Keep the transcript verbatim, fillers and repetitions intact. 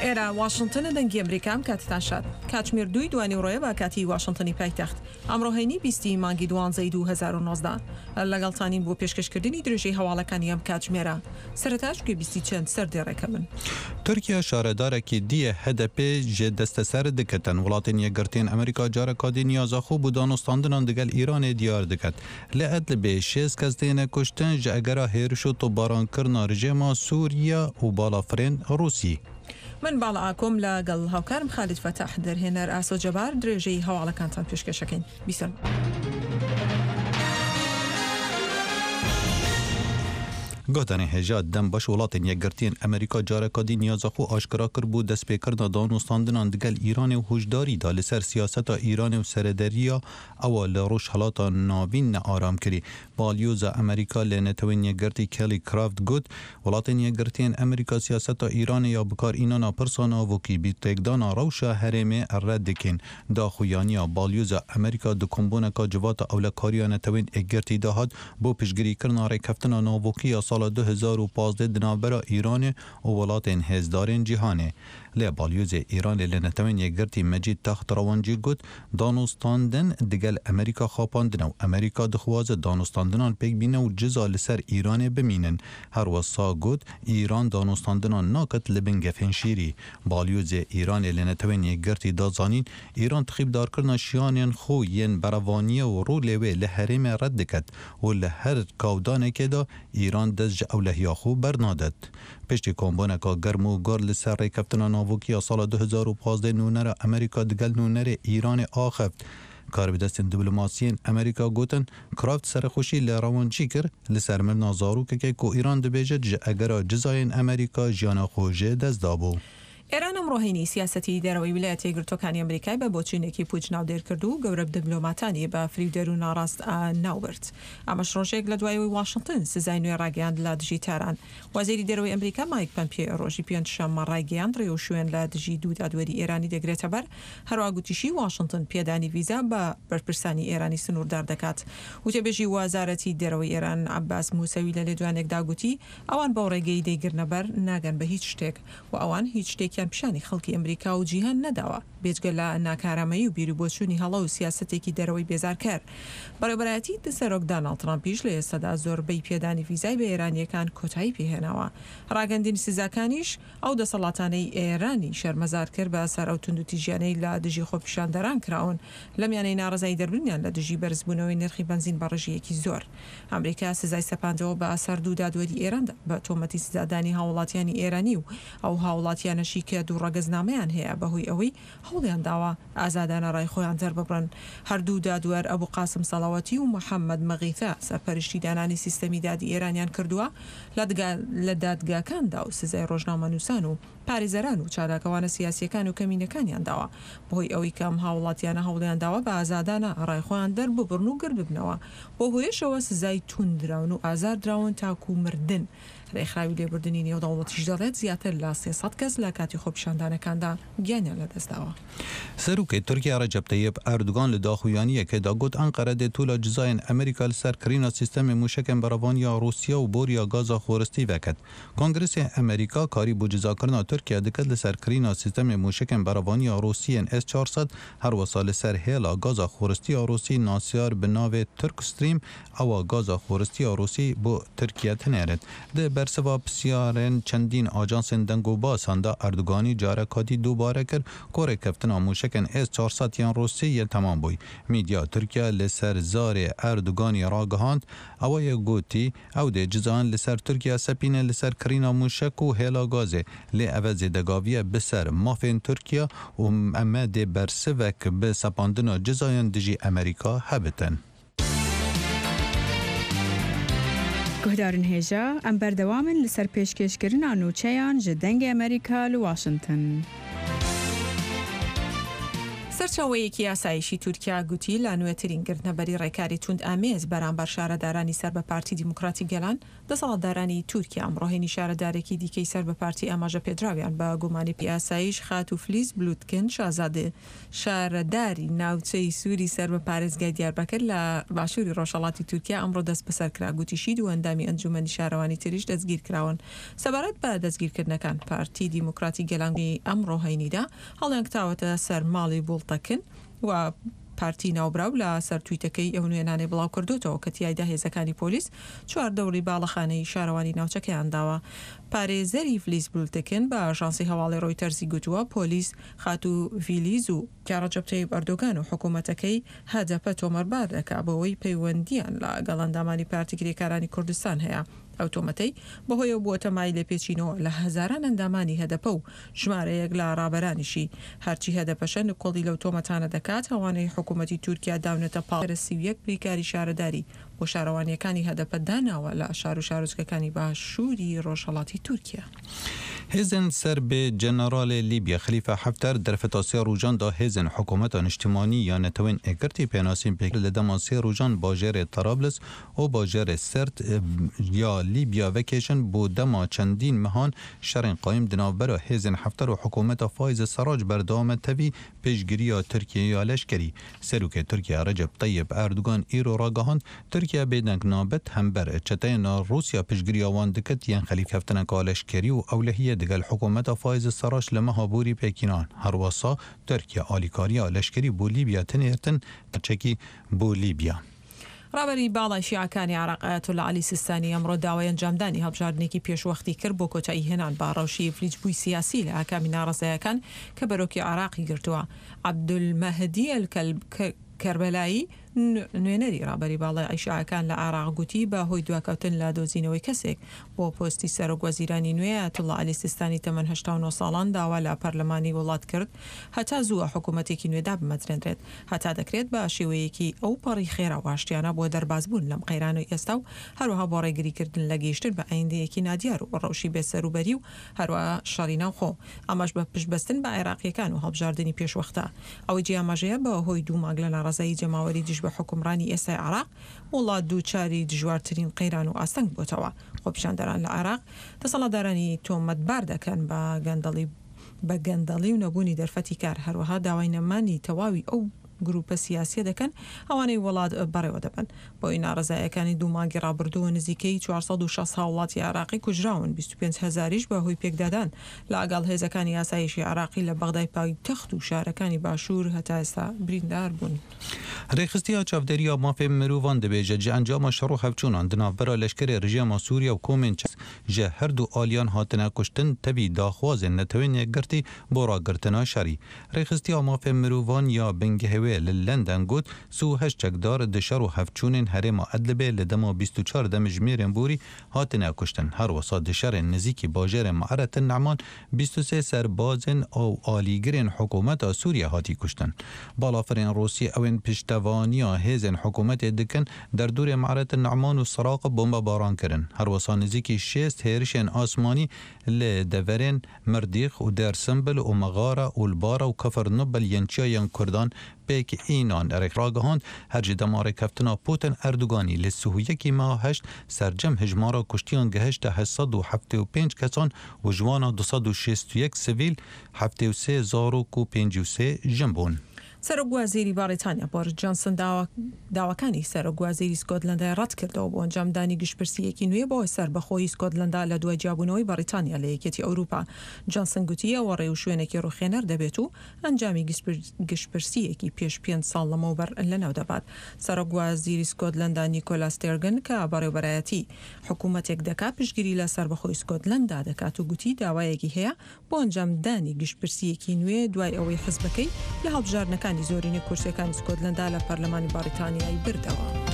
ئێرە واشنتنە، دەنگی ئەمریکام، کاتتان شاد. کاتژمێر دووی دوانیوڕۆیە بە کاتی واشنتنی پایتەخت. ئەمڕۆ هەینی بیستی مانگی دوانزەی دوو هەزار و نۆزدە. لەگەڵتانین بۆ پێشکەشکردنی درێژەی هەواڵەکانی ئەم کاتژمێرە. سەرەتاش گوێبیستی چەند سەردێڕێکە بن. تورکیا شارەدارێکی دیە هەدەپێ ژێ دەستەسەر دکەتن. وڵاتên Yekgirtiyên Amerîka careka dî niyaza xwe bo danûstandinan digel Îranê diyar diket. Li Edlibê şêst kes têne kuştin ji egera hêriş û topbarankirina rejîma Sûriye û balafirên Rûsî. من باڵا ئاکۆم لەگەڵ هاوکارم خالید فەتاح، دەرهێنەر ئاسۆ جەبار، درێژەی هەواڵەکانتان پێشکەشەکەین. بیسەن. گوتنی هێژا دەم baş وڵاتên Yekgirtiyên Amerîka careka dî niyaza xwe aşkera kir bû destpêkirina danûstandinan digel Îranê û hişdarî da li ser siyaseta Îranê û serederiya ewa li Rojhilata Navîn nearam kirî. Balyoza Amerîka li Netewên Yekgirtî Kelly Craft got, وڵاتên Yekgirtiyên Amerîka siyaseta Îranê ya bikarînana pirsa navokî bi têkdana rewşa herêmê red dikin. Daxuyaniya balyoza Amerîka di kombûneka civata ewlekariya Netewên Yekgirtî de hat bo piştgirîkirina rêkeftina navokî ya sala du hezar û pazdeh di navbera Îranê û welatên hêzdarên cîhanê. Lê balyozê Îranê li Netewên Yekgirtî Mecîd Text Rewancî got, danûstandin digel Amerîka xapandine û Amerîka dixwaze danûstandinan pêk bîne û ciza li ser Îranê bimînin. Her wisa got, Îran danûstandinan naket li bin gefên şîrî. Balyozê Îranê li Netewên Yekgirtî da zanîn, Îran tixîbdarkirina şiyanên xwe yên berevaniye û rolê wê li herêmê red diket û li her kawdanekê de Îran dest ji ewlehiya xwe bernadet. Piştî kombûneka germ û gur li ser rêkeftina navokî ya sala du hezar û pazdeh nûnera Amerîka digel nûnerê Îranê axift. Karbidestên diplomasiyên Amerîka gotin, Kraft serexweşî li Rewancî kir li ser mirina zarokekê ku Îran dibêje ji egera cizayên Amerîka jiyana xwe jê dest dabû. ئێران ئەمڕۆ هەینی سیاسەتی دەرەوەی ویلایەتە یەکگرتووەکانی ئەمریکای بە بۆچوونێکی پوچ ناودێر کرد و گەورە دیپلۆماتانی بە فریودەر و ناڕاست ناوبرد. ئەمەش ڕۆژێک لە دوای ئەوەی واشنگتن سزای نوێ ڕاگەیاند لە دژی تاران. وەزیری دەرەوەی ئەمریکا مایک پەمپیۆ ڕۆژی پێنجشەممە ڕایگەیاند ڕێوشوێن لە دژی دوو دادوەری ئێرانی دەگرێتە بەر. هەروەها گوتیشی واشنگتن پێدانی ڤیزا بە بەرپرسانی ئێرانی سنووردار دەکات. وتەبێژی وەزارەتی دەرەوەی ئێران عەباس موسەوی لە لێدوانێکدا گوتی ئەوان بەو ڕێگەی دەیگرنە بەر ناگەن بە هیچ شتێک و ئەوان هیچ شتێکیان پیشانی خەڵکی ئەمریکا و جیهان نەداوە، بێجگە لە ناکارامەیی و بیروبۆچوونی هەڵە و سیاسەتێکی دەرەوەی بێزارکەر. بەڕێوەبەرایەتی سەرۆک داناڵد ترامپیش لە ئێستادا زۆربەی پێدانی ڤیزای بە ئێرانیەکان کۆتایی پێهێناوە. ڕاگەندنی سزاکانیش ئەو دەسەڵاتانەی ئێرانی شەرمەزار کرد بە سەر ئەو توندوتیژیانەی لە دژی خۆپیشاندەران کراون لەمیانەی ناڕەزایی دەربڕینیان لە دژی بەرزبوونەوەی نرخی بەنزین بە ڕێژەیەکی زۆر. ئەمریکا سزای سەپاندەوە بە سەر دوو دادوەری ئێراندا بە تۆمەتی سزادانی هاوڵاتیانی ئێرانی و ئەو هاوڵاتیانەشی کە دوو ڕەگەزنامەیان هەیە بەهۆی ئەوەی هەوڵیان داوە ئازادانە ڕای خۆیان دەرببڕن. هەردوو دادوەر ئەبوو قاسم سەڵاوەتی و محەممەد مەغیثە سەرپەرشتی دانانی سیستەمی دادی ئێرانیان کردووە لە دادگاکاندا و سزای ڕۆژنامەنووسان و پارێزەران و چالاکەوانە سیاسیەکان و کەمینەکانیان داوە بەهۆی ئەوەی کە ئەم هاوڵاتیانە هەوڵیان داوە بە ئازادانە ڕای خۆیان دەرببڕن و گرد ببنەوە. بۆ هۆیەشەوە سزای توندراون و ئازار دراون تاکو مردن. ڕێکخراوی لێبوردنی نێودەوڵەتیش دەڵێت زیاتر لە سێ سەد کەس لە کاتی خۆپیشاندانەکاندا گیانیان لەدەستداوە. سەرۆکی تورکیا ڕەجەب تەیب ئەردۆغان لە داخویانیەکەدا گوت ئەنقەرە دێ تولا جزایên ئەمریکا li ser kirîna sîstemê mûşekên berevaniya Rûsya û boriya gaza xoristî veket. Kongresê Amerîka karî bo cizakirina Tirkiye diket li ser kirîna sîstemê mûşekên berevaniya Rûsiyên S çar sed her wisa li ser hêla gaza xoristiya Rûsî nasiyar bi navê Turk Stream ewa gaza xoristiya Rûsî bo Tirkiye tinêrit. Di bersiva pisyarên çendîn ajansên deng û basan da Erdoganî careka dî dubare kir ku rêkeftina mûşekên S çar sed yên Rûsî yê temam bûy. Medya Tirkiye li ser zarê Erdoganî ragihand ew yê gotî ew dê cizayan li ser Tirkiye sepîne li ser kirîna mûşek û hêla gazê lê ev zêdegaviye bi ser mafên Tirkiye û em dê bersivek bi sepandina cizayan dijî Amerîka hebitin. Guhdarên hêja, em berdewam in li ser pêşkêşkirina nûçeyan ji Dengê Amerîka li Washington. سەرچاوەیەکی ئاسایشی تورکیا گوتی لە نوێترین گرتنەبەری ڕێکاری توند ئامێز بەرامبەر شارەدارانی سەر بە پارتی دیموکراتی گەلان، دەسەڵاتدارانی تورکیا ئەمڕۆ هەینی شارەدارێکی دیکەی سەر بە پارتی ئاماژە پێدراویان بە گومانی ئاسایش خاتوو فلیز بلوتکن شازادە شارەداری ناوچەی سووری سەر بە پارێزگای دیاربەکر لە باشووری ڕۆژهەڵاتی تورکیا ئەمڕۆ دەستبەسەر کرا. گوتیشی دوو ئەندامی ئەنجوومەنی شارەوانی تریش دەستگیر کراون. سەبارەت بە دەستگیرکردنەکان پارتی دیموکراتی گەلان ئەمڕۆ هەینیدا هەڵیانکتاوەتە سەر ماڵی بوڵتەکن و پارتی ناوبراو لە سەر تویتەکەی ئەو نوێنانەی بڵاو کردوتەوە کە تیایدا هێزەکانی پۆلیس چوار دەوری باڵەخانەی شارەوانی ناوچەکەیان داوە. پارێزەری فلیز بولتکن بە ئاژانسی هەواڵی ڕۆیتەرزی گوتووە پۆلیس خاتوو ڤیلیز و ڕەجەب تەیب ئەردۆگان و حکوومەتەکەی هەدەپە تۆمەتبار دەکا بەوەی پەیوەندیان لەگەڵ ئەندامانی پارتی کرێکارانی کوردستان هەیە. ئەو تۆمەتەی بەهۆیەوە بووەتە مای لێپێچینەوە لە هەزاران ئەندامانی هەدەپە و ژمارەیەک لە ڕابەرانیشی. هەرچی هەدەپەشە نکۆڵی لەو تۆمەتانە دەکات ئەوانەی حکوومەتی تورکیا داونەتە پاڵ سی و یەک بریکاری شارەداری بۆ شارەوانیەکانی هەدەپە داناوە لە شار و شارۆچکەکانی باشووری ڕۆژهەڵاتی تورکیا. هێزن سەر بە جەنەرال لیبیا خەلیفە حەفتەر دەرفەتا سێ ڕۆژاندا هێزن حکوومەتە نیشتیمانی یا نەتەوەین ئەگرتی پێناسین پێک لە دەما سێ ڕۆژان باژێرێ تەرابلس و باژێرێ سرت یا لیبیا ڤەکێشن بۆ دەما چەندین مەهان شەڕین قایم دناوبەرە هێزن حەفتەر و حکوومەتە فایز سەراج بەردەوامە تەوی پێشگیرییا تورکیا یا لەشکری. سەرۆکê تورکیا ڕەجەب تەیب ئەردۆگان ئیرۆ ڕاگەهاند تورکیا بێدەنگ نابێت هەمبەر چەتەیان ڕووسیا پشتگیرییا وان دکت یان خەلیف کەفتنەکە لەشکری و ئەولەهیە دگەل حکوومەتە فایز سەراج لە مەها بوری پێکینان. هەروەسا تورکیا ئالیکارییا لەشکری بۆ لیبیا تنێرتن چەکی بۆ لیبیا. ڕابەری باڵای شیعەکانی عێراق ئایەتوڵڵا عەلی سیستانی ئەمڕۆ داوای ئەنجامدانی هەڵبژاردنێکی پێشوەختی کرد بۆ کۆتایی هێنان بە ڕەوشی ئیفلیجبووی سیاسی لە ئاکامی ناڕەزایەکان کە بەرۆکی عێراقی گرتووە. عەبدولمەهدی کەربەلایی نوێنەری ڕابەری باڵای شیعەکان لە عێراق گوتی بە هۆی دواکەوتن لە دۆزینەوەی کەسێک بۆ پۆستی سەرۆک وەزیرانی نوێ ئایەتوڵڵا عەلی سیستانی تەمەن هەشتا و نۆ ساڵان داوا لە پەرلەمانی وڵات کرد هەتا زووە حکوومەتێکی نوێ دابمەزرێنرێت هەتا دەکرێت بە شێوەیەکی ئەو پەڕی خێرا و ئاشتیانە بۆ دەربازبوون لەم قەیرانەی ئێستا و هەروەها بۆ ڕێگریکردن لە گەیشتن بە ئایندەیەکی نادیار و ڕەوشی بێسەروبەری و هەروەها شەڕی ناوخۆ، ئەمەش بە پشتبەستن بە عێراقیەکان و هەڵبژاردنی پێشوەختە. ئەوەی جیاماژەیە بە هۆی دوو مانگ لە ناڕەزایی جەماوەری دژ بە حکومڕانی ئێستای عێراق وڵات دووچاری دژوارترین قەیران و ئاستەنگ بۆتەوە. خۆپیشاندەران لە عێراق دەسەڵاتدارانی تۆمەتبار دەکەن بە گەندەڵی بە گەندەڵی و نەبوونی دەرفەتی کار، هەروەها داوای نەمانی تەواوی ئەو گروپە سیاسیە دەکەن ئەوانەی وڵات بەڕێوە دەبن. بۆی ناڕەزایەکانی دوو مانگی ڕابردووە نزیکەی چوار سەد و شەست هاوڵاتی عێراقی کوژراون، بیست و پێنج هەزاریش بە هۆی پێکدادان لەگەڵ هێزەکانی ئاسایشی عێراقی لە بەغدای پایتەخت و شارەکانی باشوور هەتا ئێستا بریندار بوون. ڕێکخستیا چاودێرییا مافê mirovan dibêje ji encama şer û hevçûnan di navbera leşkerê rejîma Sûriye û komên ji her du aliyan hatine kuştin tevî daxwazên netewên yekgirtî bo ragirtina şerî. Rêxistiya mafê mirovan ya bingehê wê li London got sî û heşt çekdar di şer û hevçûnên herêma Edlibê li dema bîst û çar demjimêrên borî hatine kuştin. Her wisa di şerên nêzîkî bajarê Me'aret Ne'man bîst û sê serbazên û alîgirên hikûmeta Sûriye hatî kuştin. Balafirên Rûsî ew ên piştevaniya hêzên hikûmetê dikin derdorê Me'aret Ne'man û Siraq bombebaran kirin. Her wisa nêzîkî şêst hêrişên asmanî li deverên Mirdîx û Dêrsimbil û Mexara û Lbara û Kefernobel yên çiyayên Kurdan pêk înan ragihand her ji dema rêkeftina Putin Erdoganî li sî û yekî meha heşt sercem hejmara kuştiyan gihişte heşt sed û heftê û pênc kesan û ji wana du sed û şêst û yek sivîl heftê û sê zarok û pêncî û sê jin bûn. سەرۆک وەزیری بەریتانیا بۆریس جۆنسن داواکانی سەرۆک وەزیری سکۆتلەندای ڕەت کردەوە بۆ ئەنجامدانی گشتپرسییەکی نوێ بۆ سەربەخۆیی سکۆتلەندا لە دوای جیابوونەوەی بەریتانیا لە یەکێتی ئەوروپا. جۆنسن گوتی ئەوە ڕێوشوێنێکی ڕوخێنەر دەبێت و ئەنجامی گشتپرسییەکی پێش پێنج ساڵ لەمەوبەر لەناو دەبات. سەرۆک وەزیری سکۆتلەندا نیکۆلا ستێرگن کە بەڕێوەبەرایەتی حکوومەتێک دەکات پشتگیری لە سەربەخۆی سکۆتلەندا دەکات و گوتی داوایەکی هەیە بۆ ئەنجامدانی گشتپرسییەکی نوێ دوای ئەوەی حزبەکەی لە هەڵبژاردنەکانی زۆرینەی کورسیەکانی سکۆتلەندا لە پەرلەمانی بەریتانیای بردەوە.